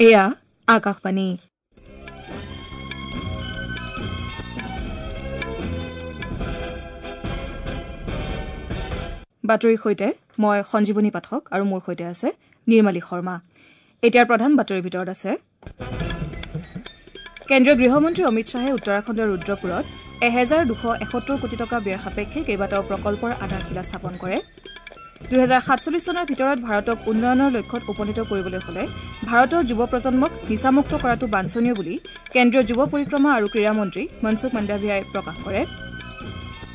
এয়া আকাশবাণী। বাতৰিৰ সৈতে মই সঞ্জীৱনী পাঠক আৰু মোৰ সৈতে আছে নিৰ্মালী শৰ্মা। এতিয়াৰ প্ৰধান বাতৰিৰ ভিতৰত আছে কেন্দ্ৰীয় গৃহমন্ত্ৰী অমিত শ্বাহে উত্তৰাখণ্ডৰ ৰুদ্ৰপুৰত ১২৭১ কোটি টকা ব্যয় সাপেক্ষে কেইবাটাও প্ৰকল্পৰ আধাৰশিলা স্থাপন কৰে। ২০৪৭ চনৰ ভিতৰত ভাৰতক উন্নয়নৰ লক্ষ্যত উপনীত কৰিবলৈ হলে ভাৰতৰ যুৱ প্ৰজন্মক নিচামুক্ত কৰাটো বাঞ্ছনীয় বুলি কেন্দ্ৰীয় যুৱ পৰিক্ৰমা আৰু ক্ৰীড়া মন্ত্ৰী মনসুখ মাণ্ডাভিয়াই প্ৰকাশ কৰে।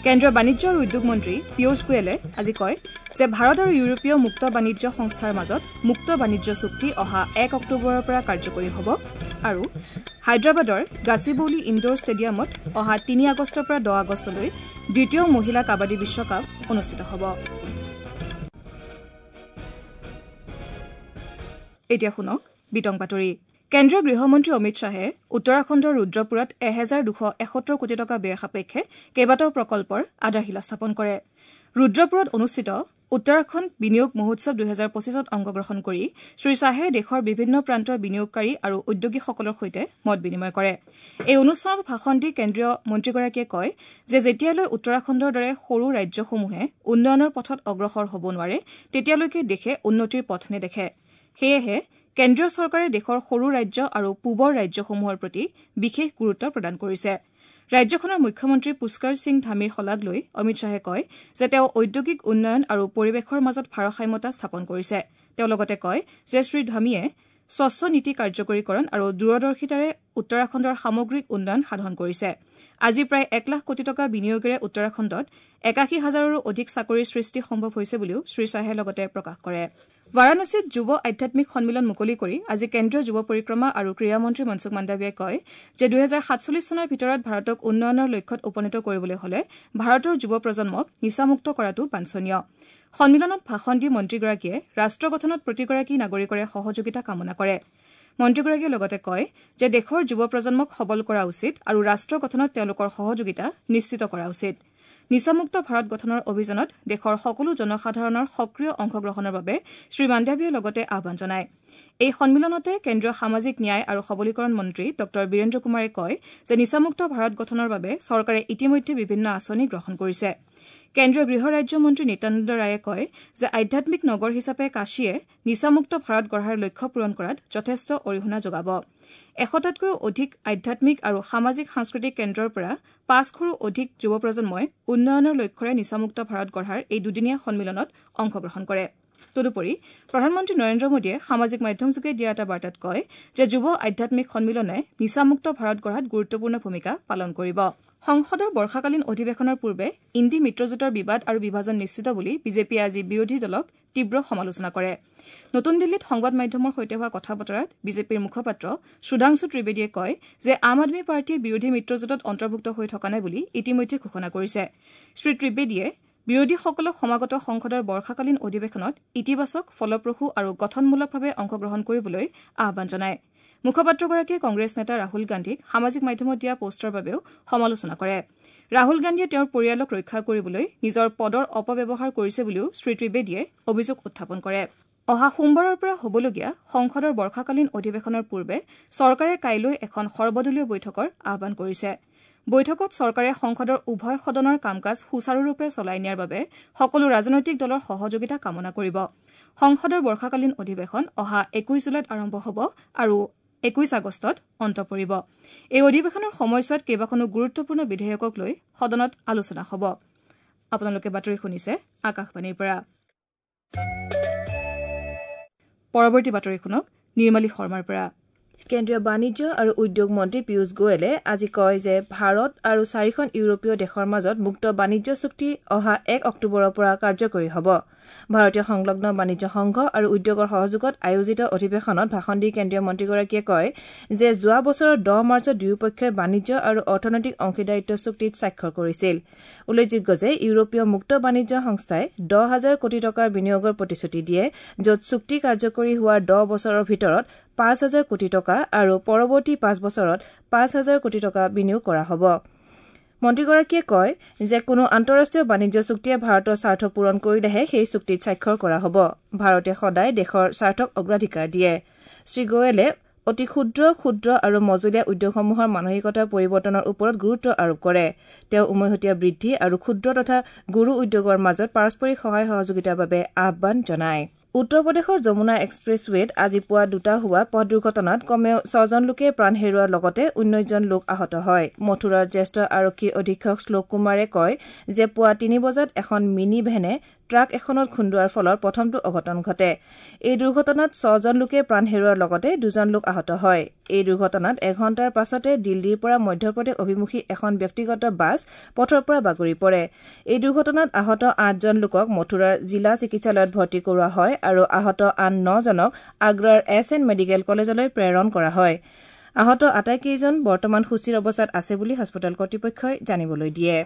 কেন্দ্ৰীয় বাণিজ্য আৰু উদ্যোগ মন্ত্ৰী পীয়ুষ গোৱেলে আজি কয় যে ভাৰত আৰু ইউৰোপীয় মুক্ত বাণিজ্য সংস্থাৰ মাজত মুক্ত বাণিজ্য চুক্তি অহা ১ অক্টোবৰৰ পৰা কাৰ্যকৰী হ'ব আৰু হায়দৰাবাদৰ গাচিবৌলি ইণ্ডোৰ ষ্টেডিয়ামত অহা ৩ আগষ্টৰ পৰা ১০ আগষ্টলৈ দ্বিতীয় মহিলা কাবাডী বিশ্বকাপ অনুষ্ঠিত হ'ব। এতিয়া শুনক বিতং বাতৰি। কেন্দ্ৰীয় গৃহমন্ত্ৰী অমিত শ্বাহে উত্তৰাখণ্ডৰ ৰুদ্ৰপুৰত ১২৭১ কোটি টকা ব্যয় সাপেক্ষে কেইবাটাও প্ৰকল্পৰ আধাৰশিলা স্থাপন কৰে। ৰুদ্ৰপুৰত অনুষ্ঠিত উত্তৰাখণ্ড বিনিয়োগ মহোৎসৱ ২০২৫ত অংশগ্ৰহণ কৰি শ্ৰীশ্বাহে দেশৰ বিভিন্ন প্ৰান্তৰ বিনিয়োগকাৰী আৰু উদ্যোগীসকলৰ সৈতে মত বিনিময় কৰে। এই অনুষ্ঠানত ভাষণ দি কেন্দ্ৰীয় মন্ত্ৰীগৰাকীয়ে কয় যে যেতিয়ালৈ উত্তৰাখণ্ডৰ দৰে সৰু ৰাজ্যসমূহে উন্নয়নৰ পথত অগ্ৰসৰ হ'ব নোৱাৰে তেতিয়ালৈকে দেশে উন্নতিৰ পথ নেদেখে। সেয়েহে কেন্দ্ৰীয় চৰকাৰে দেশৰ সৰু ৰাজ্য আৰু পূবৰ ৰাজ্যসমূহৰ প্ৰতি বিশেষ গুৰুত্ব প্ৰদান কৰিছে। ৰাজ্যখনৰ মুখ্যমন্ত্ৰী পুষ্কৰ সিং ধামীৰ শলাগ লৈ অমিত শ্বাহে কয় যে তেওঁ ঔদ্যোগিক উন্নয়ন আৰু পৰিৱেশৰ মাজত ভাৰসাম্যতা স্থাপন কৰিছে। তেওঁ লগতে কয় যে শ্ৰীধামীয়ে স্বচ্ছ নীতি কাৰ্যকৰীকৰণ আৰু দূৰদৰ্শিতাৰে উত্তৰাখণ্ডৰ সামগ্ৰিক উন্নয়ন সাধন কৰিছে। আজি প্ৰায় ১ লাখ কোটি টকা বিনিয়োগেৰে উত্তৰাখণ্ডত ৮১ হাজাৰৰো অধিক চাকৰিৰ সৃষ্টি সম্ভৱ হৈছে বুলিও শ্ৰীশ্বাহে লগতে প্ৰকাশ কৰে। বাৰাণসীত যুৱ আধ্যাত্মিক সন্মিলন মুকলি কৰি আজি কেন্দ্ৰীয় যুৱ পৰিক্ৰমা আৰু ক্ৰীড়া মন্ত্ৰী মনসুখ মাণ্ডাভিয়াই কয় যে ২০৪৭ চনৰ ভিতৰত ভাৰতক উন্নয়নৰ লক্ষ্যত উপনীত কৰিবলৈ হলে ভাৰতৰ যুৱ প্ৰজন্মক নিচামুক্ত কৰাটো বাঞ্ছনীয়। সন্মিলনত ভাষণ দি মন্ত্ৰীগৰাকীয়ে ৰাষ্ট্ৰ গঠনত প্ৰতিগৰাকী নাগৰিকৰে সহযোগিতা কামনা কৰে। মন্ত্ৰীগৰাকীয়ে লগতে কয় যে দেশৰ যুৱ প্ৰজন্মক সবল কৰা উচিত আৰু ৰাষ্ট্ৰ গঠনত তেওঁলোকৰ সহযোগিতা নিশ্চিত কৰা উচিত। নিচামুক্ত ভাৰত গঠনৰ অভিযানত দেশৰ সকলো জনসাধাৰণৰ সক্ৰিয় অংশগ্ৰহণৰ বাবে শ্ৰীমাণ্ডাভিয়াই লগতে আহ্বান জনায়। এই সন্মিলনতে কেন্দ্ৰীয় সামাজিক ন্যায় আৰু সবলীকৰণ মন্ত্ৰী ডঃ বীৰেন্দ্ৰ কুমাৰে কয় যে নিচামুক্ত ভাৰত গঠনৰ বাবে চৰকাৰে ইতিমধ্যে বিভিন্ন আঁচনি গ্ৰহণ কৰিছে। কেন্দ্ৰীয় গৃহ ৰাজ্য মন্ত্ৰী নিত্যানন্দ ৰায়ে কয় যে আধ্যাত্মিক নগৰ হিচাপে কাশীয়ে নিচামুক্ত ভাৰত গঢ়াৰ লক্ষ্য পূৰণ কৰাত যথেষ্ট অৰিহণা যোগাব। ১০০টাতকৈও অধিক আধ্যাত্মিক আৰু সামাজিক সাংস্কৃতিক কেন্দ্ৰৰ পৰা ৫০০ৰো অধিক যুৱ প্ৰজন্মই উন্নয়নৰ লক্ষ্যৰে নিচামুক্ত ভাৰত গঢ়াৰ এই দুদিনীয়া সন্মিলনত অংশগ্ৰহণ কৰে। তদুপৰি প্ৰধানমন্ত্ৰী নৰেন্দ্ৰ মোদীয়ে সামাজিক মাধ্যমযোগে দিয়া এটা বাৰ্তাত কয় যে যুৱ আধ্যাত্মিক সন্মিলনে নিচামুক্ত ভাৰত গঢ়াত গুৰুত্বপূৰ্ণ ভূমিকা পালন কৰিব। সংসদৰ বৰ্ষাকালীন অধিৱেশনৰ পূৰ্বে ইণ্ডি মিত্ৰজোঁটৰ বিবাদ আৰু বিভাজন নিশ্চিত বুলি বিজেপিয়ে আজি বিৰোধী দলক তীব্ৰ সমালোচনা কৰে। নতুন দিল্লীত সংবাদ মাধ্যমৰ সৈতে হোৱা কথা বতৰাত বিজেপিৰ মুখপাত্ৰ সুধাংশু ত্ৰিবেদীয়ে কয় যে আম আদমী পাৰ্টীয়ে বিৰোধী মিত্ৰজোঁটত অন্তৰ্ভুক্ত হৈ থকা নাই বুলি ইতিমধ্যে ঘোষণা কৰিছে। শ্ৰী ত্ৰিবেদীয়ে বিৰোধীসকলক সমাগত সংসদৰ বৰ্ষাকালীন অধিৱেশনত ইতিবাচক, ফলপ্ৰসূ আৰু গঠনমূলকভাৱে অংশগ্ৰহণ কৰিবলৈ আহ্বান জনায়। মুখপাত্ৰগৰাকীয়ে কংগ্ৰেছ নেতা ৰাহুল গান্ধীক সামাজিক মাধ্যমত দিয়া পোষ্টৰ বাবেও সমালোচনা কৰে। ৰাহুল গান্ধীয়ে তেওঁৰ পৰিয়ালক ৰক্ষা কৰিবলৈ নিজৰ পদৰ অপব্যৱহাৰ কৰিছে বুলিও শ্ৰী ত্ৰিবেদীয়ে অভিযোগ উত্থাপন কৰে। অহা সোমবাৰৰ পৰা হ'বলগীয়া সংসদৰ বৰ্ষাকালীন অধিৱেশনৰ পূৰ্বে চৰকাৰে কাইলৈ এখন সৰ্বদলীয় বৈঠকৰ আহ্বান কৰিছে। বৈঠকত চৰকাৰে সংসদৰ উভয় সদনৰ কাম কাজ সুচাৰুৰূপে চলাই নিয়াৰ বাবে সকলো ৰাজনৈতিক দলৰ সহযোগিতা কামনা কৰিব। সংসদৰ বৰ্ষাকালীন অধিৱেশন অহা ২১ জুলাইত আৰম্ভ হ'ব আৰু ২১ আগষ্টত অন্ত পৰিব। এই অধিৱেশনৰ সময়ছোৱাত কেইবাখনো গুৰুত্বপূৰ্ণ বিধেয়কক লৈ সদনত আলোচনা হ'ব। আপোনালোকে বাতৰি শুনিছে আকাশবাণীৰ পৰা। পৰৱৰ্তী বাতৰি শুনক নিৰ্মালী শৰ্মাৰ পৰা। কেন্দ্ৰীয় বাণিজ্য আৰু উদ্যোগ মন্ত্ৰী পীয়ুষ গোৱেলে আজি কয় যে ভাৰত আৰু চাৰিখন ইউৰোপীয় দেশৰ মাজত মুক্ত বাণিজ্য চুক্তি অহা ১ অক্টোবৰৰ পৰা কাৰ্যকৰী হ'ব। ভাৰতীয় সংলগ্ন বাণিজ্য সংঘ আৰু উদ্যোগৰ সহযোগত আয়োজিত অধিৱেশনত ভাষণ দি কেন্দ্ৰীয় মন্ত্ৰীগৰাকীয়ে কয় যে যোৱা বছৰৰ ১০ মাৰ্চত দুয়োপক্ষই বাণিজ্য আৰু অৰ্থনৈতিক অংশীদাৰিত্ব চুক্তিত স্বাক্ষৰ কৰিছিল। উল্লেখযোগ্য যে ইউৰোপীয় মুক্ত বাণিজ্য সংস্থাই ১০ হাজাৰ কোটি টকাৰ বিনিয়োগৰ প্ৰতিশ্ৰুতি দিয়ে, য'ত চুক্তি কাৰ্যকৰী হোৱাৰ ১০ বছৰৰ ভিতৰত ৫ হাজাৰ কোটি টকা আৰু পৰৱৰ্তী ৫ বছৰত ৫ হাজাৰ কোটি টকা বিনিয়োগ কৰা হ'ব। মন্ত্ৰীগৰাকীয়ে কয় যে কোনো আন্তঃৰাষ্ট্ৰীয় বাণিজ্য চুক্তিয়ে ভাৰতৰ স্বাৰ্থ পূৰণ কৰিলেহে সেই চুক্তিত স্বাক্ষৰ কৰা হ'ব। ভাৰতে সদায় দেশৰ স্বাৰ্থক অগ্ৰাধিকাৰ দিয়ে। শ্ৰীগোৱেলে অতি ক্ষুদ্ৰ, ক্ষুদ্ৰ আৰু মজলীয়া উদ্যোগসমূহৰ মানসিকতা পৰিৱৰ্তনৰ ওপৰত গুৰুত্ব আৰোপ কৰে। তেওঁ উমৈহতীয়া বৃদ্ধি আৰু ক্ষুদ্ৰ তথা গুৰু উদ্যোগৰ মাজত পাৰস্পৰিক সহায় সহযোগিতাৰ বাবে আহ্বান জনায়। উত্তৰ প্ৰদেশৰ যমুনা এক্সপ্ৰেছৱেত আজি পুৱা দুটা হোৱা পথ দুৰ্ঘটনাত কমেও ৬জন লোকে প্ৰাণ হেৰুওৱাৰ লগতে ১৯জন লোক আহত হয়। মথুৰাৰ জ্যেষ্ঠ আৰক্ষী অধীক্ষক শ্লোক কুমাৰে কয় যে পুৱা ৩ বজাত এখন মিনি ভেনে ট্ৰাক এখনত খুন্দোৱাৰ ফলত প্ৰথমটো অঘটন ঘটে। এই দুৰ্ঘটনাত ৬জন লোকে প্ৰাণ হেৰুওৱাৰ লগতে ২জন লোক আহত হয়। এই দুৰ্ঘটনাত এঘণ্টাৰ পাছতে দিল্লীৰ পৰা মধ্যপ্ৰদেশ অভিমুখী এখন ব্যক্তিগত বাছ পথৰ পৰা বাগৰি পৰে। এই দুৰ্ঘটনাত আহত ৮জন লোকক মথুৰাৰ জিলা চিকিৎসালয়ত ভৰ্তি কৰোৱা হয় আৰু আহত আন ৯জনক আগ্ৰাৰ এছ এন মেডিকেল কলেজলৈ প্ৰেৰণ কৰা হয়। আহত আটাইকেইজন বৰ্তমান সুস্থিৰ অৱস্থাত আছে বুলি হাস্পতাল কৰ্তৃপক্ষই জানিবলৈ দিয়ে।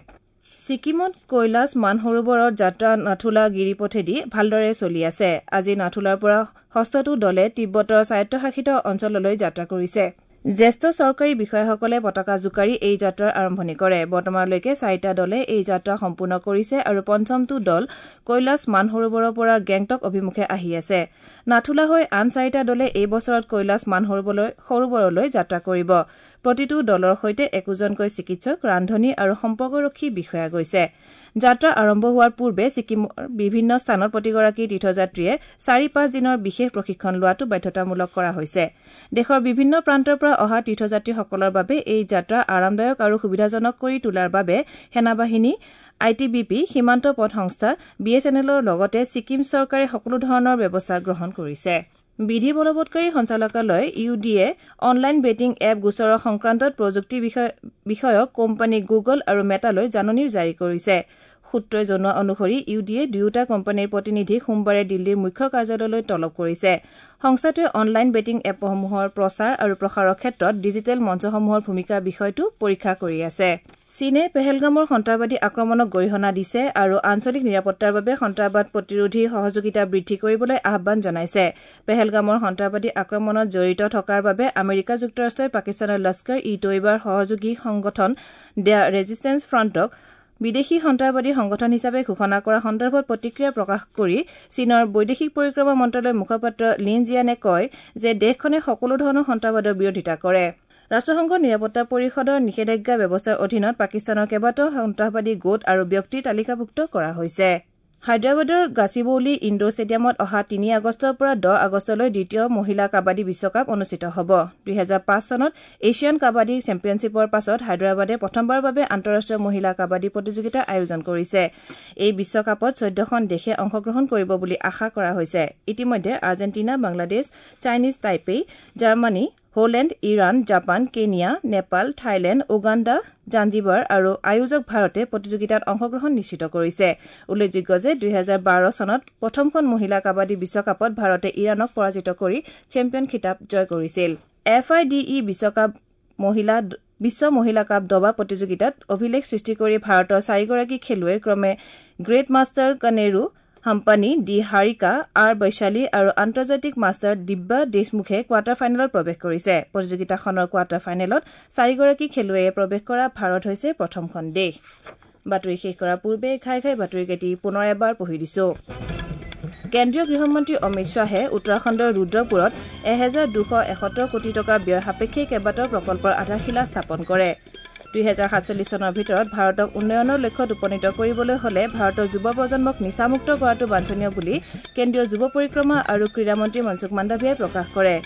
ছিকিমত কৈলাশ মানসৰোবৰৰ যাত্ৰা নাথুলা গিৰিপথেদি ভালদৰে চলি আছে। আজি নাথুলাৰ পৰা ষষ্ঠটো দলে তিব্বতৰ স্বায়ত্তশাসিত অঞ্চললৈ যাত্ৰা কৰিছে। জ্যেষ্ঠ চৰকাৰী বিষয়াসকলে পতাকা জোকাৰি এই যাত্ৰাৰ আৰম্ভণি কৰে। বৰ্তমানলৈকে ৪টা দলে এই যাত্ৰা সম্পূৰ্ণ কৰিছে আৰু পঞ্চমটো দল কৈলাশ মানসৰোবৰৰ পৰা গেংটক অভিমুখে আহি আছে। নাথুলা হৈ আন ৪টা দলে এই বছৰত কৈলাশ মানসৰোবৰলৈ যাত্ৰা কৰিব। প্ৰতিটো দলৰ সৈতে একোজনকৈ চিকিৎসক, ৰান্ধনী আৰু সম্পৰ্কৰক্ষী বিষয়া গৈছে। যাত্ৰা আৰম্ভ হোৱাৰ পূৰ্বে ছিকিমৰ বিভিন্ন স্থানত প্ৰতিগৰাকী তীৰ্থযাত্ৰীয়ে ৪-৫ দিনৰ বিশেষ প্ৰশিক্ষণ লোৱাটো বাধ্যতামূলক কৰা হৈছে। দেশৰ বিভিন্ন প্ৰান্তৰ পৰা অহা তীৰ্থযাত্ৰীসকলৰ বাবে এই যাত্ৰা আৰামদায়ক আৰু সুবিধাজনক কৰি তোলাৰ বাবে সেনাবাহিনী, I T B P, সীমান্ত পথ সংস্থা, বি এছ এন এলৰ লগতে ছিকিম চৰকাৰে সকলো ধৰণৰ ব্যৱস্থা গ্ৰহণ কৰিছে। বিধি বলবৎকাৰী সঞ্চালকালয় ইউ ডিয়ে অনলাইন বেটিং এপ গোচৰৰ সংক্ৰান্তত প্ৰযুক্তি বিষয়ক কোম্পানী গুগল আৰু মেটালৈ জাননী জাৰি কৰিছে। সূত্ৰই জনোৱা অনুসৰি ইউ ডিয়ে দুয়োটা কোম্পানীৰ প্ৰতিনিধিক সোমবাৰে দিল্লীৰ মুখ্য কাৰ্যালয়লৈ তলব কৰিছে। সংস্থাটোৱে অনলাইন বেটিং এপসমূহৰ প্ৰচাৰ আৰু প্ৰসাৰৰ ক্ষেত্ৰত ডিজিটেল মঞ্চসমূহৰ ভূমিকাৰ বিষয়টো পৰীক্ষা কৰি আছে। চীনে পেহেলগামৰ সন্ত্ৰাসবাদী আক্ৰমণক গৰিহণা দিছে আৰু আঞ্চলিক নিৰাপত্তাৰ বাবে সন্ত্ৰাসবাদ প্ৰতিৰোধী সহযোগিতা বৃদ্ধি কৰিবলৈ আহ্বান জনাইছে। পেহেলগামৰ সন্ত্ৰাসবাদী আক্ৰমণত জড়িত থকাৰ বাবে আমেৰিকা যুক্তৰাষ্ট্ৰই পাকিস্তানৰ লস্কৰ ই তৈবাৰ সহযোগী সংগঠন the resistance ফ্ৰণ্টক বিদেশী সন্ত্ৰাসবাদী সংগঠন হিচাপে ঘোষণা কৰা সন্দৰ্ভত প্ৰতিক্ৰিয়া প্ৰকাশ কৰি চীনৰ বৈদেশিক পৰিক্ৰমা মন্ত্ৰালয়ৰ মুখপাত্ৰ লিন জিয়ানে কয় যে দেশখনে সকলো ধৰণৰ সন্ত্ৰাসবাদৰ বিৰোধিতা কৰে। ৰাষ্ট্ৰসংঘৰ নিৰাপত্তা পৰিষদৰ নিষেধাজ্ঞা ব্যৱস্থাৰ অধীনত পাকিস্তানৰ কেইবাটাও সন্ত্ৰাসবাদী গোট আৰু ব্যক্তি তালিকাভুক্ত কৰা হৈছে। হায়দৰাবাদৰ গাচিবৌলি ইণ্ডোৰ ষ্টেডিয়ামত অহা ৩ আগষ্টৰ পৰা ১০ আগষ্টলৈ দ্বিতীয় মহিলা কাবাডী বিশ্বকাপ অনুষ্ঠিত হ'ব। ২০০৫ চনত এছিয়ান কাবাডী চেম্পিয়নশ্বিপৰ পাছত হায়দৰাবাদে প্ৰথমবাৰৰ বাবে আন্তঃৰাষ্ট্ৰীয় মহিলা কাবাডী প্ৰতিযোগিতাৰ আয়োজন কৰিছে। এই বিশ্বকাপত ১৪খন দেশে অংশগ্ৰহণ কৰিব বুলি আশা কৰা হৈছে। ইতিমধ্যে Argentina, Bangladesh, Chinese Taipei, Germany, Holland, Iran, Japan, Kenya, Nepal, Thailand, Uganda, Zanzibar আৰু আয়োজক ভাৰতে প্ৰতিযোগিতাত অংশগ্ৰহণ নিশ্চিত কৰিছে। উল্লেখযোগ্য যে ২০১২ চনত প্ৰথমখন মহিলা কাবাডী বিশ্বকাপত ভাৰতে ইৰাণক পৰাজিত কৰি চেম্পিয়ন খিতাপ জয় কৰিছিল। এফ আই ডি ই বিশ্ব মহিলা কাপ দবা প্ৰতিযোগিতাত অভিলেখ সৃষ্টি কৰি ভাৰতৰ ৪গৰাকী খেলুৱৈ ক্ৰমে great master Koneru Humpy, D Harika, R Vaishali আৰু আন্তৰ্জাতিক মাষ্টাৰ দিব্যা দেশমুখে কোৱাৰ্টাৰ ফাইনেলত প্ৰৱেশ কৰিছে। প্ৰতিযোগিতাখনৰ কোৱাৰ্টাৰ ফাইনেলত ৪গৰাকী খেলুৱৈয়ে প্ৰৱেশ কৰা ভাৰত হৈছে প্ৰথমখন দেশ। বাতৰি শেষ কৰাৰ পূৰ্বে ঘাই ঘাই বাতৰিকেইটি পুনৰ এবাৰ পঢ়ি দিছো। কেন্দ্ৰীয় গৃহমন্ত্ৰী অমিত শ্বাহে উত্তৰাখণ্ডৰ ৰুদ্ৰপুৰত ১২৭১ কোটি টকা ব্যয় সাপেক্ষে কেইবাটাও প্ৰকল্পৰ আধাৰশিলা স্থাপন কৰে। ২০৪৭ চনৰ ভিতৰত ভাৰতক উন্নয়নৰ লক্ষ্যত উপনীত কৰিবলৈ হলে ভাৰতৰ যুৱ প্ৰজন্মক নিচামুক্ত কৰাটো বাঞ্ছনীয় বুলি কেন্দ্ৰীয় যুৱ পৰিক্ৰমা আৰু ক্ৰীড়া মন্ত্ৰী মনসুখ মাণ্ডাভিয়াই প্ৰকাশ কৰে।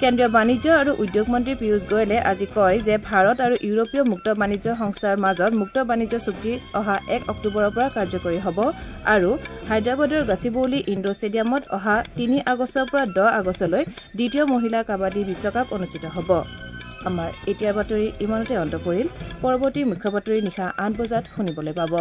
কেন্দ্ৰীয় বাণিজ্য আৰু উদ্যোগ মন্ত্ৰী পীয়ুষ গোৱেলে আজি কয় যে ভাৰত আৰু ইউৰোপীয় মুক্ত বাণিজ্য সংস্থাৰ মাজত মুক্ত বাণিজ্য চুক্তি অহা ১ অক্টোবৰৰ পৰা কাৰ্যকৰী হ'ব আৰু হায়দৰাবাদৰ গাচিবৌলি ইণ্ডোৰ ষ্টেডিয়ামত অহা ৩ আগষ্টৰ পৰা ১০ আগষ্টলৈ দ্বিতীয় মহিলা কাবাডী বিশ্বকাপ অনুষ্ঠিত হ'ব। আমাৰ এতিয়াৰ বাতৰি ইমানতে অন্ত পৰিল। পৰৱৰ্তী মুখ্য বাতৰি নিশা ৮ বজাত শুনিবলৈ পাব।